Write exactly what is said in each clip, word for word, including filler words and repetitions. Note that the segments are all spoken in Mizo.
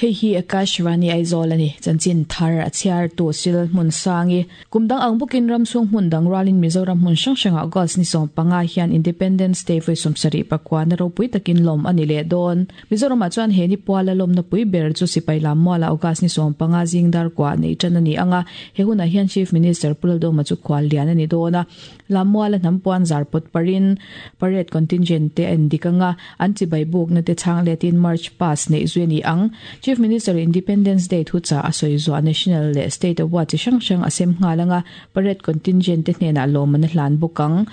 Hei hi Akashvani Aizawl ani chanchin thar a chhiar tu sil hmun sangi kumdang ang bukin ram chung hmun dang ralin Mizoram hmun hrang hranga August ni sawm panga hian Independence Day voi sawmsarih pakua na ropui takin lawm ani leh dawn. Mizoram ah chuan he ni puala lawmna pui ber chu sipai lam muala August ni sawm panga zing dar kwa nei tan ani anga he hunah hian Chief Minister Pu Lalduhoma chu khual lian ani dawn a. Lam muala hnam puan zar pawt parin parade contingent te an dik anga an chibai buk na te chang letin march pass nei zui ani ang. Chief Minister Independence Day thu cha a sawi zuah National leh State Award chi hrang hrang a sem nghal anga parade contingent te hnenah lawm an hlan bawk ang.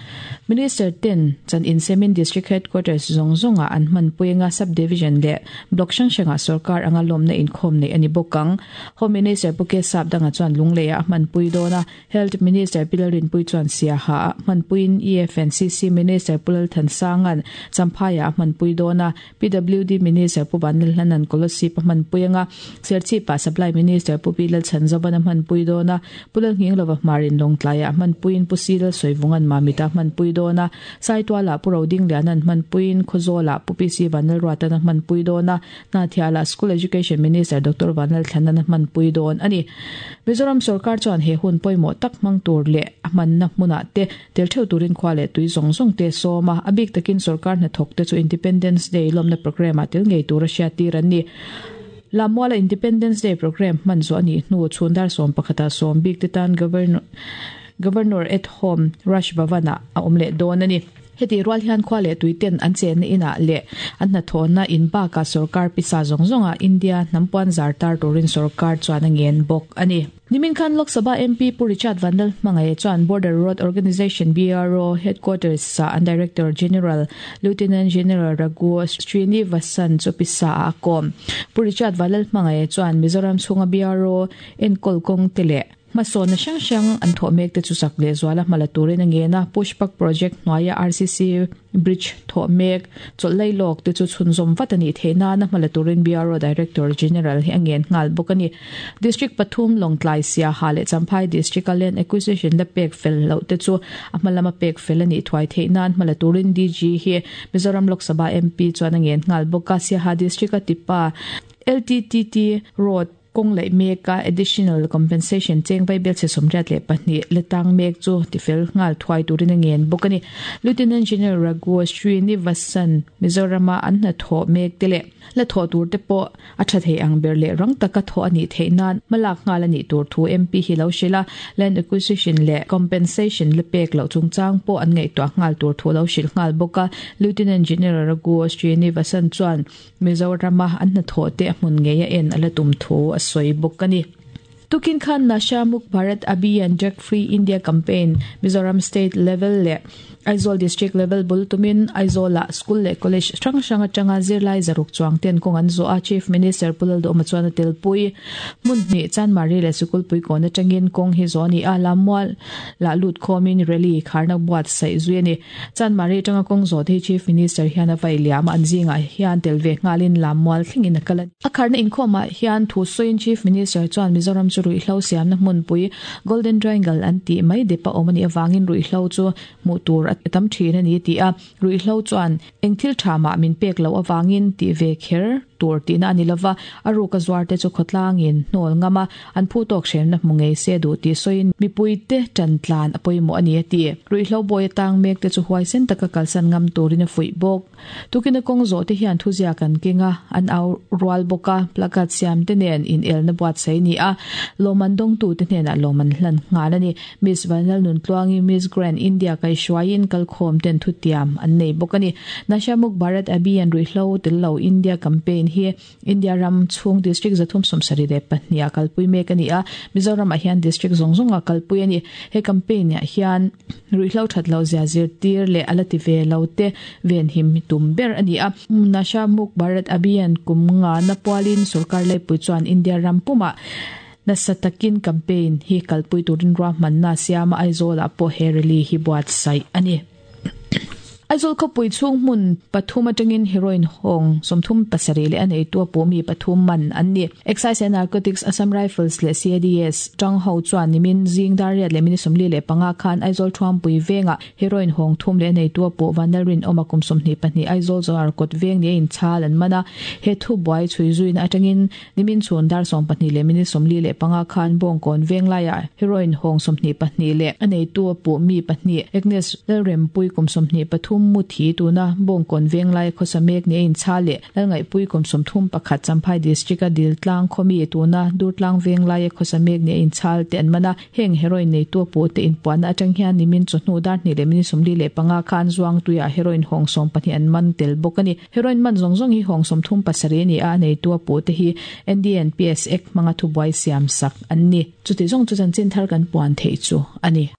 Minister ten chan insemin District Headquarters zawng zawnga an hman pui anga sub-division leh block hrang hranga sarkar anga lawmna inkhawm nei ani bawk ang. Home Minister Pu K Sap danga chuan Lungleia a hman pui dawn a. Health Minister Pi Lalrinpui chuan Siaha a hman puiin E F N C C Minister Pu Lalthansangan Champhaiah a hman pui dawn a. P W D Minister Pu Vanlalhlanan Kolasib a hman pui anga Serchhipa Supply Minister Pu Pi Lalchhanzovan a hman pui dawn a. Pu Lalnghinglova Hmarin Lawngtlaiah a hman puiin Pu Si Lalsawivungan Mamita a hman pui dawn a. Saituala Pu Rodinglianan hman puiin Khawzawlah Pu P C Vanlalruatan a hman pui dawn a. Hnathialah School Education Minister Doctor Vanlalthlanan a hman pui dawn ani. Mizoram sarkar chuan he hun pawimawh tak hmang tur leh a hmanna hmunah te tel theuh turin khua leh tui zawng zawng te sawm a. A bik takin sarkar hnathawk te chu Independence Day lawmna program ah tel ngei tur a hriat tir an ni. Lammuala Independence Day program hman zawh ani hnu chhundar sawm pakhata sawm bik te tan Governor Governor at Home Raj Bhavan ah a awm leh dawn ani. Heti rual hian khua leh tui ten an chenna inah leh an hnathawhna in bakah sarkar pisa zawng zawnga India hnam puan zar tar turin sarkar chuan a ngen bawk ani. Nimin khan Lok Sabha M P Pu Richard Vanlalhmangaih chuan Border Road Organisation B R O Headquarters sa an Director General Lieutenant General Raghu Srinivasan chu pisa a kawm. Pu Richard Vanlalhmangaih chuan Mizoram chhunga B R O enkawl kawng te leh hmasawnna hrang hrang an thawh mek te chu chak leh zuala hmala turin a ngen a. Pushpak Project hnuaia R C C Bridge thawh mek chawlh lawk te chu chhunzawm vat ani theih nana hmala turin B R O Director General hi a ngen nghal bawk ani. District pathum Lawngtlai Siaha leh Champhai District a Land Acquisition la pek fel loh te chu a hmalama pek fel ani thuai theih nan hmala turin D G hi Mizoram Lok Sabha M P chuan a ngen nghal bawk a. Siaha District a tipa L T T T Road kawng leh mek a additional compensation cheng vai bel che sawmriat leh pahnih letang mek chu tifel nghal thuai turin a ngen bawk ani. Lieutenant General Raghu Srinivasan Mizorama an hnathawh mek te leh la thawh tur te pawh a tha thei ang ber leh rang taka thawh ani theih nan hmalak nghal ani tur thu M P hi lo hril a. Land acquisition leh compensation la pek loh chungchang pawh an ngaihtuah nghal tur thu lo hril nghal bawk a. Lieutenant General Raghu Srinivasan chuan Mizorama an hnathawh te a hmun ngei a en a la tum thu a sawi bawk ani. Tukin khan Nasha Muk Bharat Abhiyan Drug Free India Campaign Mizoram State Level leh Aizawl District Level bul tumin Aizawla School leh College hrang hrang atanga zirlai zaruk chuang ten kawng an zawh a. Chief Minister Pu Lalduhoma chuan a tel pui hmun hnih Chanmari leh Sikulpui kawn atangin kawng hi zawh ani a. Lammual lah lut khawmin rally kharna buat saih zui ani. Chanmari atanga kawng zawh te hi Chief Minister hian a vai liam a an zingah hian tel ve nghalin Lammual thlengin a kal a. A kharna inkhawmah hian thu sawiin Chief Minister chuan Mizoram chu ruihhlo siamna hmunpui Golden Triangle an tih mai depa awm ani awangin ruihhlo chu hmuh tur a tam thin ani ti a. Ruihhlo chuan eng thil tha mah min pek lo awangin ti ve kher tur tihna ani lova a ruka zuar te chu khawtlangin hnawl ngama an phu tawk hremna hmu ngei se duh tih sawiin mipui te tan tlan a pawimawh ani a ti. Ruihhlo bawi atang mek te chu huaisen taka kalsan ngam turin a fuih bawk. Tukin a kawng zawh te hian thuzia kan kenga an au rual bawk a. Placard siam te nen in elna buat sai ni a. Lawman dawng tu te hnenah lawman hlan nghal ani. Miss Vanlal Nuntluangi Miss Grand India kai hruaiin kalkhawm ten thu tiam an nei bawk ani. Nasha Muk Bharat Abhiyan ruihhlo tel lo India campaign hi India ram chhung district zathum sawmsarih leh pahnih a kalpui mek ani a. Mizoram ah hian district zawng zawng a kalpui ani. He campaign ah hian ruihhlo that lo zia zir tir leh a la ti ve lo te ven him tum ber ani a. Nasha Muk Bharat Abhiyan kum nga na pualin sarkar laipui chuan India ram pumah nasa takin campaign hi kalpui turin ruahmanna siama Aizawlah pawh he rally hi buat saih ani. Aizawl khawpui chhung hmun pathum atangin heroin hawng sawmthum pasarih leh a neitu a pawh mi pathum man an ni. Excise and Narcotics Assam Rifles leh CADS tang ho chuan nimin zing dar riat leh minute sawmli leh panga khan Aizawl Thuampui vengah heroin hawng thum leh a neitu a pawh Vanlalrin awma kum sawmhnih pahnih Aizawl Zawhar kawt veng ni a inchhal an man a. He thu buai chhui zuina atangin nimin chhun dar sawm pahnih leh minute sawmli leh panga khan Bawngkawn veng laiah heroin hawng sawmhnih pahnih leh a neitu a pawh mi pahnih Agnes Lalrempui kum sawmhnih pathum mu thi tuna Bawngkawn veng lai khawsa mek ni a inchhal leh Lalngaihpui kum sawmthum pakhat Champhai District a Diltlang khawmi tuna Durtlang veng laia khawsa mek ni a inchhal te an man a. Heng heroin neitu a pawh te inpuahna atang hian nimin chawhnu dar hnih leh minute sawmli leh panga khan Zuangtuiah heroin hawng sawm pahnih an man tel bawk a ni. Heroin man zawng zawng hi hawng sawmthum pasarih a ni a, a neitu a pawh te hi NDNPS Act hmanga thubuai siam sak an ni. Chuti zawng chu chanchin thar kan puan theih chu a ni.